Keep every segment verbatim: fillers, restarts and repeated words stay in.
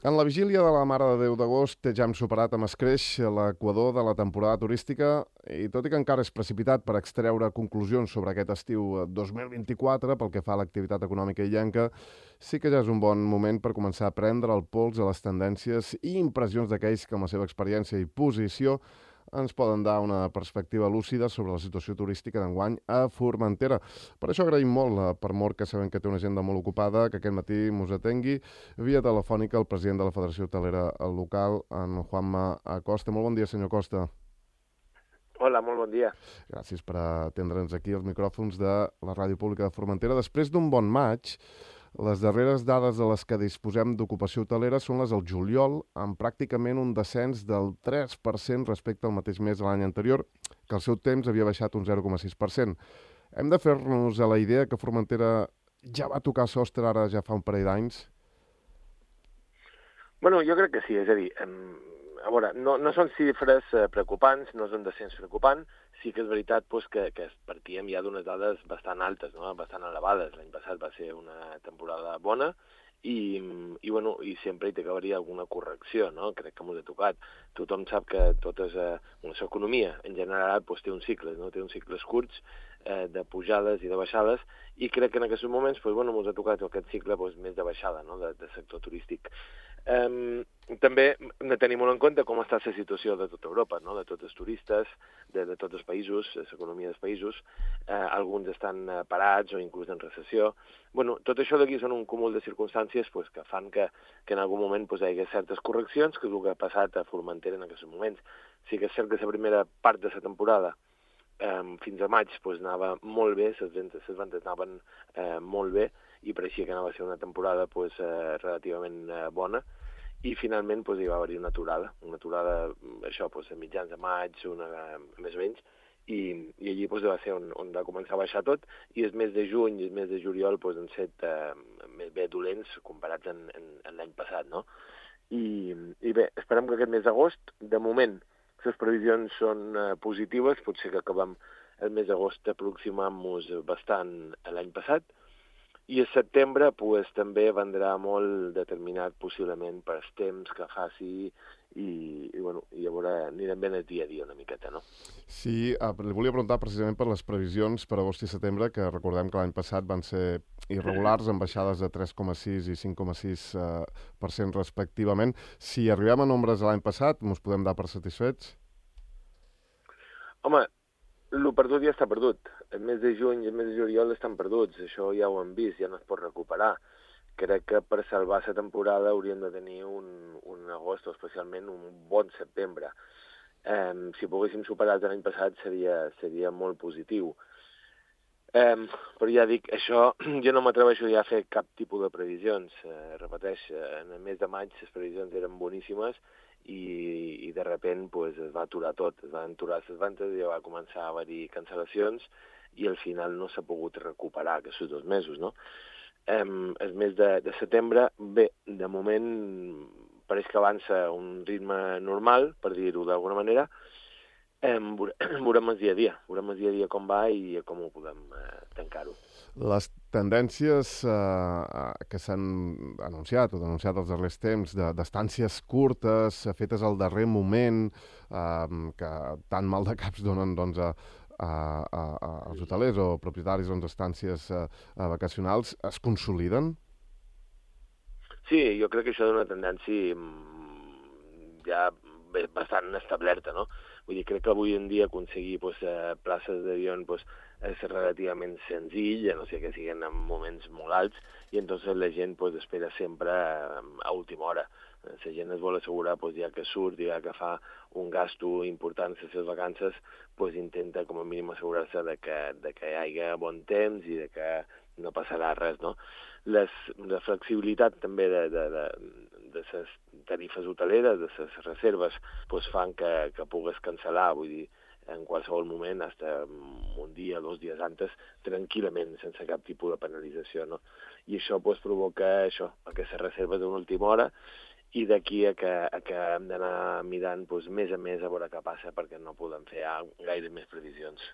En la vigília de la Mare de Déu d'agost ja hem superat amb escreix l'equador de la temporada turística i tot i que encara és precipitat per extreure conclusions sobre aquest estiu dos mil vint-i-quatre pel que fa a l'activitat econòmica illenca, sí que ja és un bon moment per començar a prendre el pols a les tendències i impressions d'aquells que amb la seva experiència i posició ens poden dar una perspectiva lúcida sobre la situació turística d'enguany a Formentera. Per això agraïm molt, per mort que sabem que té una agenda molt ocupada, que aquest matí mos atengui via telefònica el president de la Federació Hotelera local, en Juanma Acosta. Molt bon dia, senyor Costa. Hola, molt bon dia. Gràcies per atendre'ns aquí als micròfons de la Ràdio Pública de Formentera. Després d'un bon maig, les darreres dades de les que disposem d'ocupació hotelera són les del juliol, amb pràcticament un descens del tres per cent respecte al mateix mes de l'any anterior, que al seu temps havia baixat un zero coma sis per cent. Hem de fer-nos a la idea que Formentera ja va tocar sostre ara ja fa un parell d'anys? Bueno, jo crec que sí, és a dir, a veure, no, no són xifres preocupants, no és un descens preocupant, sí que és veritat pues, que, que partíem ja d'unes dades bastant altes, no? Bastant elevades. L'any passat va ser una temporada bona i, i, bueno, i sempre hi acabaria alguna correcció, no? Crec que m'ho he tocat. Tothom sap que totes, eh, una economia en general pues, té uns cicles, no? Té uns cicles curts eh, de pujades i de baixades i crec que en aquests moments pues, bueno, m'ho he tocat aquest cicle pues, més de baixada, no? de, de sector turístic. Um, també hem de tenir molt en compte com està la situació de tota Europa, no? De tots els turistes, de, de tots els països, l'economia dels països, eh, alguns estan parats o inclús en recessió. Bueno, tot això d'aquí són un cúmul de circumstàncies pues, que fan que, que en algun moment pues, hi hagi certes correccions, que és el que ha passat a Formentera en aquests moments. Sí que és cert que la primera part de la temporada eh, fins a maig pues, anava molt bé, les ventes, les ventes anaven eh, molt bé, i pareixia que anava a ser una temporada pues, eh, relativament eh, bona, i finalment pues, hi va haver una aturada, una aturada, això, pues, a mitjans de maig, una, més o menys, i, i allí pues, va ser on, on va començar a baixar tot, i el mes de juny i el mes de juliol pues, han set eh, més bé dolents comparats en, en, en l'any passat, no? I, I bé, esperem que aquest mes d'agost, de moment, les previsions són eh, positives, potser que acabem el mes d'agost aproximant-nos bastant a l'any passat, i a setembre pues, també vendrà molt determinat possiblement per els temps que faci i, i, bueno, i llavors anirem ben el dia a dia una miqueta, no? Sí, eh, li volia preguntar precisament per les previsions per agost i setembre, que recordem que l'any passat van ser irregulars, amb baixades de tres coma sis i cinc coma sis per cent respectivament. Si arribem a nombres de l'any passat, ens podem dar per satisfets? Home, el perdut ja està perdut. El mes de juny i el mes de juliol estan perduts. Això ja ho hem vist, ja no es pot recuperar. Crec que per salvar la temporada hauríem de tenir un, un agost, o especialment un bon setembre. Eh, si poguéssim superar l'any passat seria, seria molt positiu. Eh, però ja dic, això jo no m'atreveixo ja a fer cap tipus de previsions. Eh, repeteix, en el mes de maig les previsions eren boníssimes i, i de repent pues, es va aturar tot, es van aturar les ventes i va començar a haver-hi cancel·lacions i al final no s'ha pogut recuperar aquests dos mesos, no? Eh, el mes de, de setembre, bé, de moment pareix que avança a un ritme normal, per dir-ho d'alguna manera. Eh, veurem el dia a dia, veurem el dia a dia com va i com ho podem eh, tancar-ho. Les tendències eh, que s'han anunciat o denunciat els darrers temps d'estàncies curtes, fetes al darrer moment, eh, que tan mal de caps donen doncs, a, a, a, als hotelers o propietaris d'estàncies doncs, vacacionals, es consoliden? Sí, jo crec que això és una tendència ja bastant establerta, no? Vull dir, crec que avui en dia aconseguir pues, eh, places d'avió pues, és relativament senzill, a no sé que siguin en moments molt alts, i entonces la gent pues, espera sempre a última hora. La gent es vol assegurar, pues, ja que surt, ja que fa un gasto important a les seves vacances, pues, intenta com a mínim assegurar-se de que, de que hi hagi bon temps i de que no passarà res, no? Les, la flexibilitat també de, de, de, de les tarifes hoteleres, de les reserves, pues, fan que, que pugues cancel·lar, vull dir, en qualsevol moment, fins un dia, dos dies antes, tranquil·lament, sense cap tipus de penalització, no? I això pues, provoca això, aquestes reserves d'una última hora, i d'aquí a que, a que hem d'anar mirant pues, més a més a veure què passa, perquè no podem fer gaire més previsions.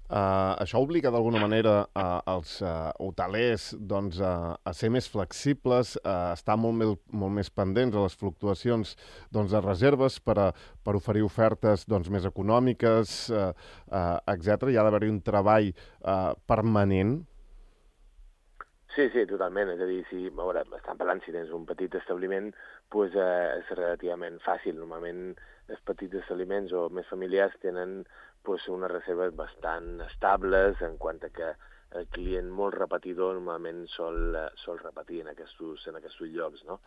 Uh, això obliga d'alguna manera uh, els uh, hotelers doncs, uh, a ser més flexibles, a uh, estar molt, més, molt més pendents a les fluctuacions doncs, de reserves per, a, per oferir ofertes doncs, més econòmiques, uh, uh, etcètera. Hi ha d'haver-hi un treball uh, permanent. Sí, sí, totalment. És a dir, si, a veure, estan parlant, si tens un petit establiment, doncs, eh, és relativament fàcil. Normalment els petits establiments o més familiars tenen doncs, unes reserves bastant estables en quant a que el client molt repetidor normalment sol, sol repetir en aquests, en aquests llocs, no?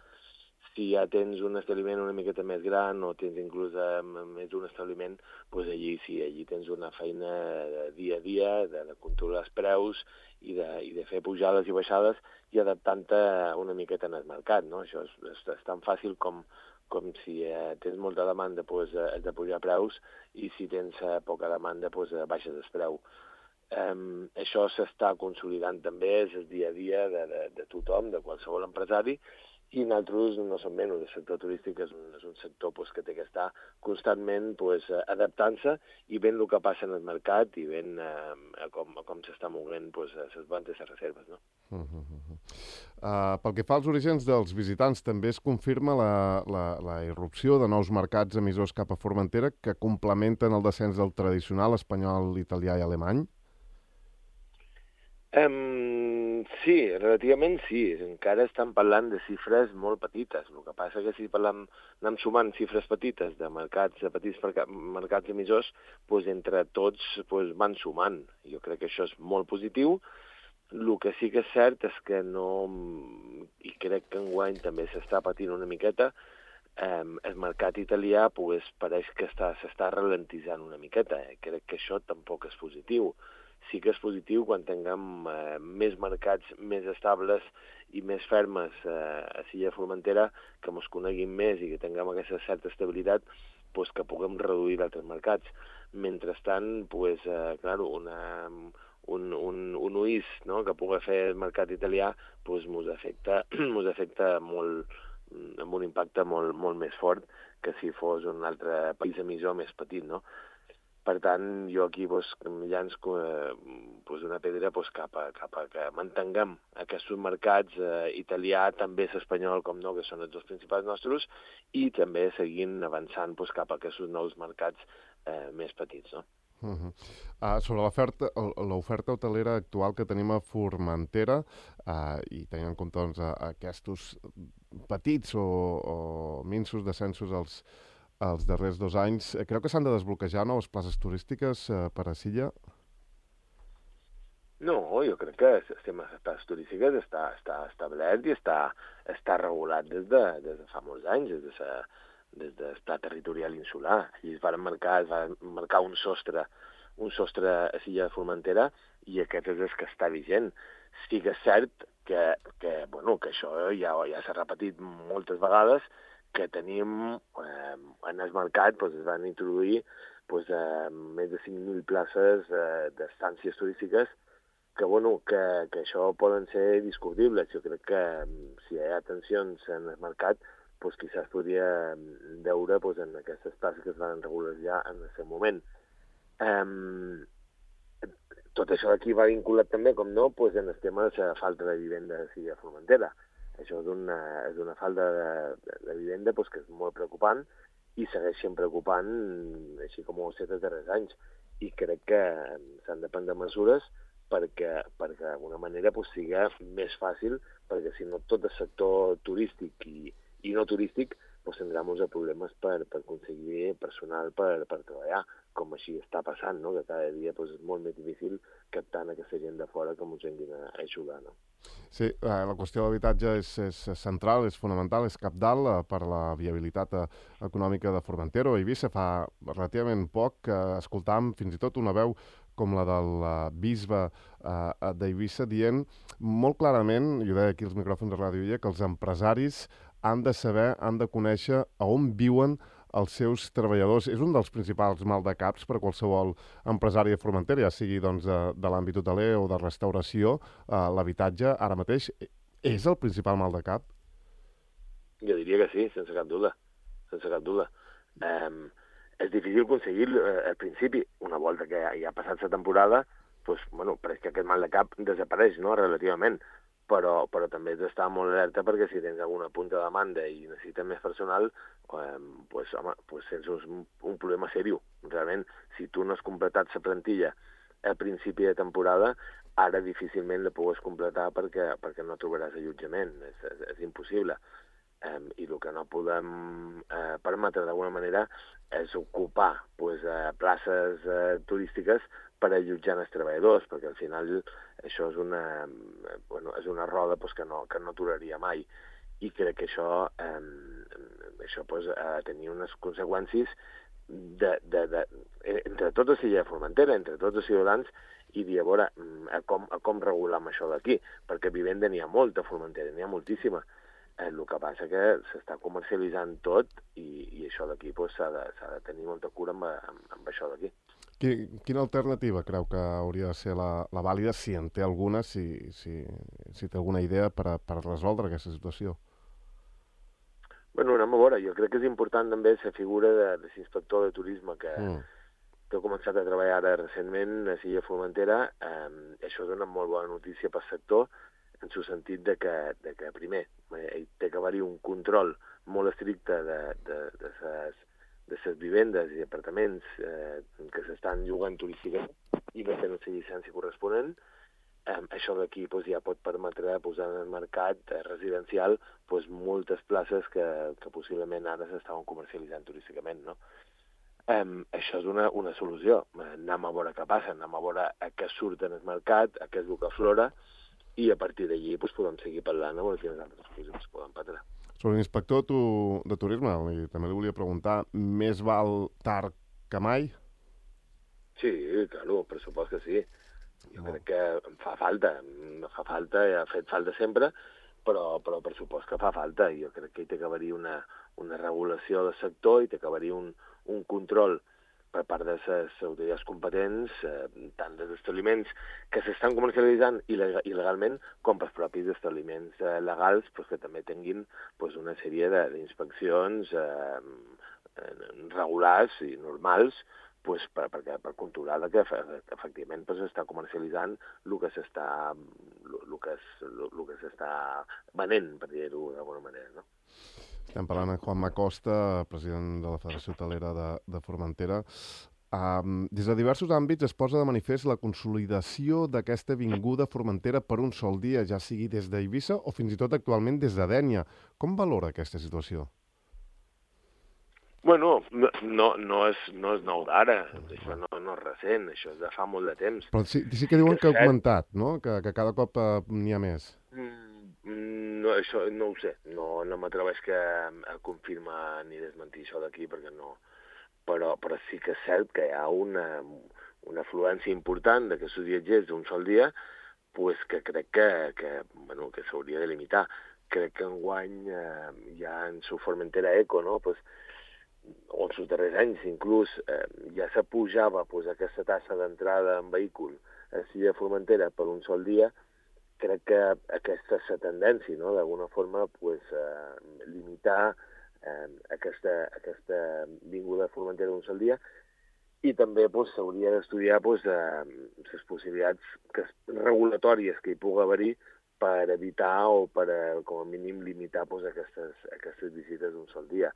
Si ja tens un establiment una miqueta més gran o tens inclús eh, més d'un establiment, doncs allí sí, allí tens una feina de dia a dia, de, de controlar els preus i de, i de fer pujades i baixades i adaptant-te una miqueta en el mercat, no? Això és, és, és tan fàcil com, com si eh, tens molta demanda, doncs eh, has de pujar preus i si tens eh, poca demanda, doncs eh, baixes el preu. Um, això s'està consolidant també, és el dia a dia de, de, de tothom, de qualsevol empresari, i nosaltres no som menys. El sector turístic és un, és un sector pues, que té que estar constantment pues, adaptant-se i veient el que passa en el mercat i veient eh, com, com s'està movent pues, les ventes i les reserves. No? Uh -huh. uh, pel que fa als orígens dels visitants, també es confirma la, la, la irrupció de nous mercats emissors cap a Formentera que complementen el descens del tradicional espanyol, italià i alemany? Um, sí, relativament sí. Encara estan parlant de xifres molt petites. El que passa que si parlem, anem sumant xifres petites de mercats, de petits mercats emissors, doncs entre tots doncs van sumant. Jo crec que això és molt positiu. El que sí que és cert és que no, i crec que enguany també s'està patint una miqueta, eh, el mercat italià pues, pareix que s'està ralentitzant una miqueta. Eh? Crec que això tampoc és positiu. Sí que és positiu quan tinguem eh, més mercats més estables i més fermes eh, a Silla Formentera, que ens coneguin més i que tinguem aquesta certa estabilitat, pues, que puguem reduir d'altres mercats. Mentrestant, pues, eh, clar, una, un, un, un U I S, no?, que pugui fer el mercat italià pues, mos afecta, mos afecta molt, amb un impacte molt, molt més fort que si fos un altre país emissor més petit, no? Per tant, jo aquí pues, llanço eh, pues una pedra pues, cap, a, cap a que mantinguem aquests mercats eh, italià, també és espanyol, com no, que són els dos principals nostres, i també seguint avançant pues, cap a aquests nous mercats eh, més petits. No? Uh -huh. uh, sobre l'oferta l'oferta hotelera actual que tenim a Formentera uh, i tenint en compte doncs, aquests petits o, o minsos descensos als els darrers dos anys, creu que s'han de desbloquejar noves places turístiques eh, per a Silla? No, jo crec que el sistema de places turístiques està, està establert i està, està regulat des de, des de fa molts anys, des de sa, des del pla territorial insular. Allí es va marcar, es va marcar un sostre, un sostre a Silla de Formentera i aquest és el que està vigent. Sí que és cert que, que, bueno, que això ja, ja s'ha repetit moltes vegades, que tenim eh, en el mercat doncs, es van introduir doncs, eh, més de cinc mil places eh, d'estàncies turístiques que, bueno, que, que això poden ser discutibles. Jo crec que si hi ha tensions en el mercat, doncs, quizás podria veure doncs, en aquestes places que es van regular ja en el seu moment. Eh, tot això d'aquí va vinculat també, com no, doncs, en el tema de la falta de vivenda a Silla de Formentera. Això és una, és una falta de, de, de vivenda pues, que és molt preocupant i segueix sent preocupant així com ho ha estat els darrers anys. I crec que s'han de prendre mesures perquè, perquè d'alguna manera pues, sigui més fàcil, perquè si no tot el sector turístic i, i no turístic pues, tindrà molts problemes per, per aconseguir personal per, per treballar, com així està passant, no? Que cada dia pues, és molt més difícil captant aquesta gent de fora que ens vinguin a, a ajudar. No? Sí, eh, la qüestió de l'habitatge és, és central, és fonamental, és cabdal eh, per la viabilitat eh, econòmica de Formentera. A Eivissa fa relativament poc que eh, escoltàvem fins i tot una veu com la del uh, bisbe uh, d'Eivissa dient molt clarament, i ho deia aquí als micròfons de Ràdio Illa, que els empresaris han de saber, han de conèixer a on viuen els seus treballadors. És un dels principals maldecaps per a qualsevol empresari de Formentera, ja sigui doncs, de, de l'àmbit hoteler o de restauració. Uh, l'habitatge, ara mateix, és el principal maldecap? Jo diria que sí, sense cap dubte. Sense cap dubte. Um, és difícil aconseguir-lo eh, al principi. Una volta que ja, ja ha passat la temporada, doncs, bueno, pareix que aquest mal de cap desapareix, no?, relativament. Però, però també has d'estar molt alerta perquè si tens alguna punta de demanda i necessites més personal, eh, pues, home, pues tens un, un problema seriós. Realment, si tu no has completat la plantilla al principi de temporada, ara difícilment la pugues completar perquè, perquè no trobaràs allotjament. És, és, és impossible. Um, I el que no podem uh, permetre d'alguna manera és ocupar pues, uh, places uh, turístiques per allotjar els treballadors, perquè al final això és una, bueno, és una roda pues, que no, que no aturaria mai. I crec que això, um, això pues, ha de tenir unes conseqüències de, de, de, entre tots els de Formentera, entre tots els ciutadans, i dir, a veure, a com, a com regular amb això d'aquí, perquè vivenda n'hi ha molta a Formentera, n'hi ha moltíssima. El que passa que s'està comercialitzant tot i, i això d'aquí pues, s'ha de, s'ha de tenir molta cura amb, amb, amb això d'aquí. Quina alternativa creu que hauria de ser la, la vàlida, si en té alguna, si, si, si té alguna idea per, a, per resoldre aquesta situació? Bueno, anem a veure. Jo crec que és important també la figura de, de l'inspector de turisme que, mm. que ha començat a treballar ara recentment a Silla Formentera. Eh, això dona molt bona notícia pel sector, en el sentit de que, de que primer, eh, té que haver-hi un control molt estricte de, de, de, ses, de ses vivendes i apartaments eh, que s'estan llogant turísticament i no tenen la llicència corresponent. Eh, això d'aquí pues, ja pot permetre posar en el mercat eh, residencial pues, moltes places que, que possiblement ara s'estaven comercialitzant turísticament, no? Um, això és una, una solució. Anem a veure què passa, anem a veure a què surt en el mercat, a què és el que aflora, i a partir d'allí pues, podem seguir parlant amb quines altres coses es poden perdre. Sobre l'inspector tu, de turisme, li, també li volia preguntar, més val tard que mai? Sí, claro, per supost que sí. Jo no. crec que em fa falta, em fa falta, ha fet falta sempre, però, però per supost que fa falta. Jo crec que hi té que haver-hi una, una regulació del sector, hi té que haver-hi un, un control per part de les autoritats competents, eh, tant dels establiments que s'estan comercialitzant il·legalment com pels propis establiments eh, legals pues, que també tinguin pues, una sèrie d'inspeccions eh, regulars i normals pues, per, per, per controlar que, que efectivament pues, s'està comercialitzant el que s'està el que, el que s'està venent, per dir-ho d'alguna manera, no? Estem parlant amb Juan Macosta, president de la Federació Hotelera de, de Formentera. Um, des de diversos àmbits es posa de manifest la consolidació d'aquesta vinguda Formentera per un sol dia, ja sigui des d'Eivissa o fins i tot actualment des de Dénia. Com valora aquesta situació? Bueno, no, no, no, és, no és nou d'ara, això no, no és recent, això és de fa molt de temps. Però sí, sí que diuen que, que ha augmentat, no? Que, que cada cop uh, n'hi ha més. Mm. No, això no ho sé, no, no m'atreveix que a confirmar ni desmentir això d'aquí, perquè no... Però, però sí que és cert que hi ha una, una afluència important d'aquests viatgers d'un sol dia, pues que crec que, que, bueno, que s'hauria de limitar. Crec que enguany eh, ja en su Formentera Eco, no? Pues, o en els darrers anys inclús, eh, ja se pujava pues, aquesta tassa d'entrada en vehicul a Silla Formentera per un sol dia. Crec que aquesta és la tendència, no? D'alguna forma, pues, eh, limitar eh, aquesta, aquesta vinguda a Formentera d'un sol dia i també pues, s'hauria d'estudiar pues, eh, les possibilitats que, regulatòries que hi pugui haver-hi per evitar o per, eh, com a mínim, limitar pues, aquestes, aquestes visites d'un sol dia.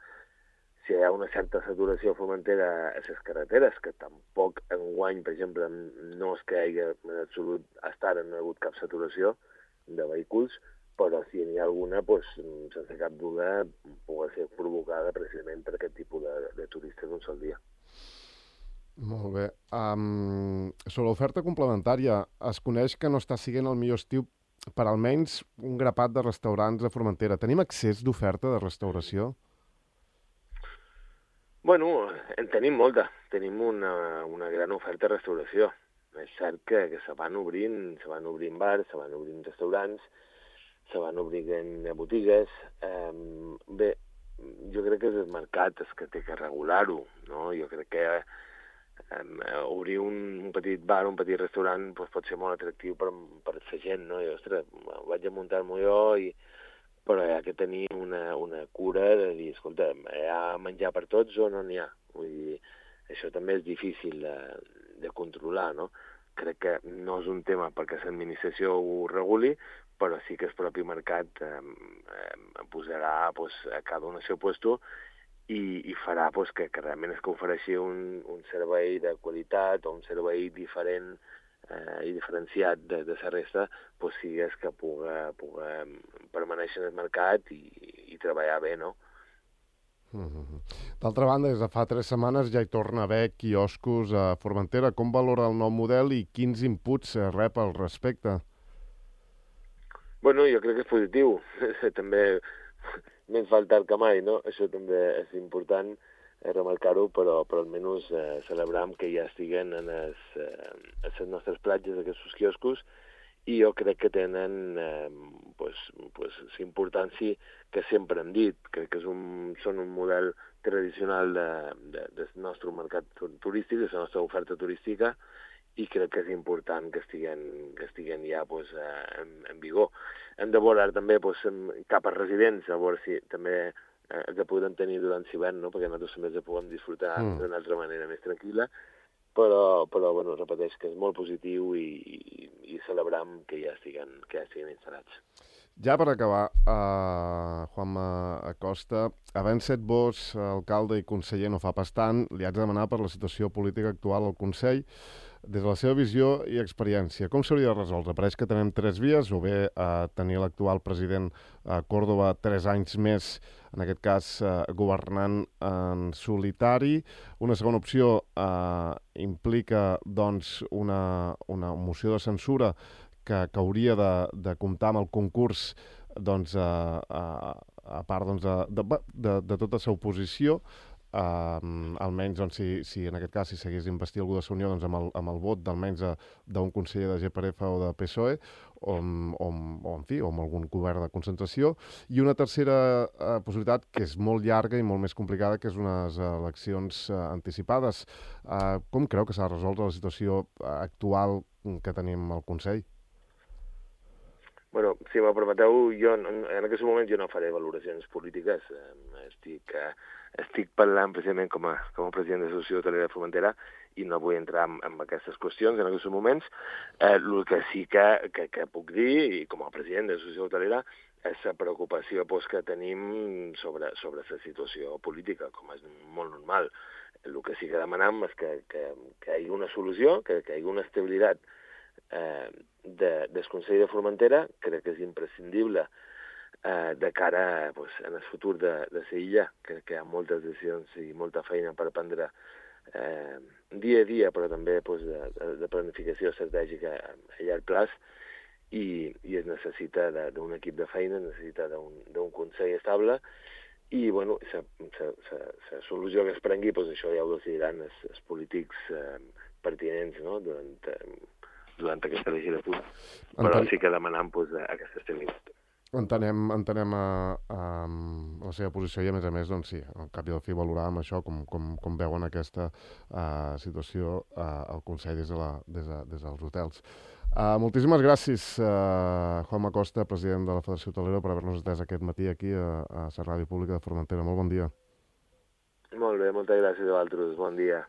Si hi ha una certa saturació a Formentera a les carreteres, que tampoc enguany, per exemple, no és que hi hagi en absolut, hasta ara no hi ha hagut cap saturació de vehicles, però si n'hi ha alguna, doncs, sense cap dubte, pugui ser provocada precisament per aquest tipus de, de turistes d'un sol dia. Molt bé. Um, sobre l'oferta complementària, es coneix que no està sent el millor estiu per almenys un grapat de restaurants a Formentera. Tenim accés d'oferta de restauració? Bueno, en tenim molta. Tenim una, una gran oferta de restauració. És cert que, que se van obrint, se van obrint bars, se van obrint restaurants, se van obrint botigues. Eh, bé, jo crec que és el mercat el que té que regular-ho, no? Jo crec que eh, obrir un, un petit bar, un petit restaurant, doncs pot ser molt atractiu per, per la gent, no? I, ostres, vaig a muntar-m'ho jo i... Però hi ha que tenir una, una cura de dir, escolta, hi ha menjar per tots o no n'hi ha? Vull dir, això també és difícil de, de controlar, no? Crec que no és un tema perquè l'administració ho reguli, però sí que el propi mercat eh, eh, posarà pues, a cada un al seu lloc i, i farà pues, que, que realment es que ofereixi un, un servei de qualitat o un servei diferent eh, i diferenciat de, de la resta, pues, sigues que puga, puga permanèixer en el mercat i, i treballar bé, no? Mm-hmm. D'altra banda, des de fa tres setmanes ja hi torna a haver quioscos a Formentera. Com valora el nou model i quins inputs rep al respecte? Bueno, jo crec que és positiu. També més val tard que mai, no? Això també és important eh, remarcar-ho, però, però almenys eh, celebram que ja estiguen en les, eh, les nostres platges aquests quioscos i jo crec que tenen eh, pues, pues, l'importància que sempre hem dit. Crec que és un, són un model tradicional de, de, del nostre mercat turístic, de la nostra oferta turística, i crec que és important que estiguen, que estiguen ja pues, en, en vigor. Hem de veure també pues, cap a residents, a veure si també eh, els podem tenir durant l'hivern, no? Perquè nosaltres també els podem disfrutar mm. d'una altra manera més tranquil·la, però, però bueno, repeteix que és molt positiu i, i, i celebram que ja estiguen, que ja estiguen instal·lats. Ja per acabar, uh, Juanma Acosta, havent set vos alcalde i conseller no fa pas tant, li haig de demanar per la situació política actual al Consell, des de la seva visió i experiència. Com s'hauria de resoldre? Pareix que tenem tres vies, o bé uh, tenir l'actual president a uh, Córdoba tres anys més, en aquest cas uh, governant en solitari. Una segona opció uh, implica doncs, una, una moció de censura que, que hauria de, de comptar amb el concurs doncs, a, a, a part doncs, de, de, de, de tota la oposició, uh, almenys doncs, si, si en aquest cas si s'hagués d'investir algú de la Unió doncs, amb, el, amb el vot d'almenys d'un conseller de G P R F o de P S O E o, o, o, en fi, o amb algun govern de concentració, i una tercera uh, possibilitat que és molt llarga i molt més complicada, que és unes eleccions uh, anticipades. Uh, com creu que s'ha de resoldre la situació actual que tenim al Consell? Bueno, si m'ho permeteu, jo en, en aquest moment jo no faré valoracions polítiques. Eh, estic, eh, estic parlant precisament com a, com a president de l'Associació Hotelera de Formentera i no vull entrar en, en aquestes qüestions en aquests moments. Eh, el que sí que, que, que puc dir, i com a president de l'Associació Hotelera, és la preocupació pues, que tenim sobre, sobre la situació política, com és molt normal. El que sí que demanem és que, que, que hi hagi una solució, que, que hi hagi una estabilitat eh, de, del Consell de Formentera. Crec que és imprescindible eh, de cara pues, en el futur de, de la illa. Crec que hi ha moltes decisions i molta feina per prendre eh, dia a dia, però també pues, de, de, de planificació estratègica a llarg plaç, i, i es necessita d'un equip de feina, es necessita d'un Consell estable, i bueno, la solució que es prengui, pues, això ja ho decidiran els, els polítics eh, pertinents, no? durant, eh, durant aquesta legislatura. Però Entenc... sí que demanam pues, aquesta estabilitat. Entenem, entenem a, a, a la seva posició i, a més a més, doncs sí, al cap i al fi valorar amb això com, com, com veuen aquesta uh, situació uh, al Consell des, de la, des, de, des dels hotels. Uh, moltíssimes gràcies, uh, Juanma Acosta, president de la Federació Hotelera, per haver-nos atès aquest matí aquí a, a la Ràdio Pública de Formentera. Molt bon dia. Molt bé, moltes gràcies a vosaltres. Bon dia.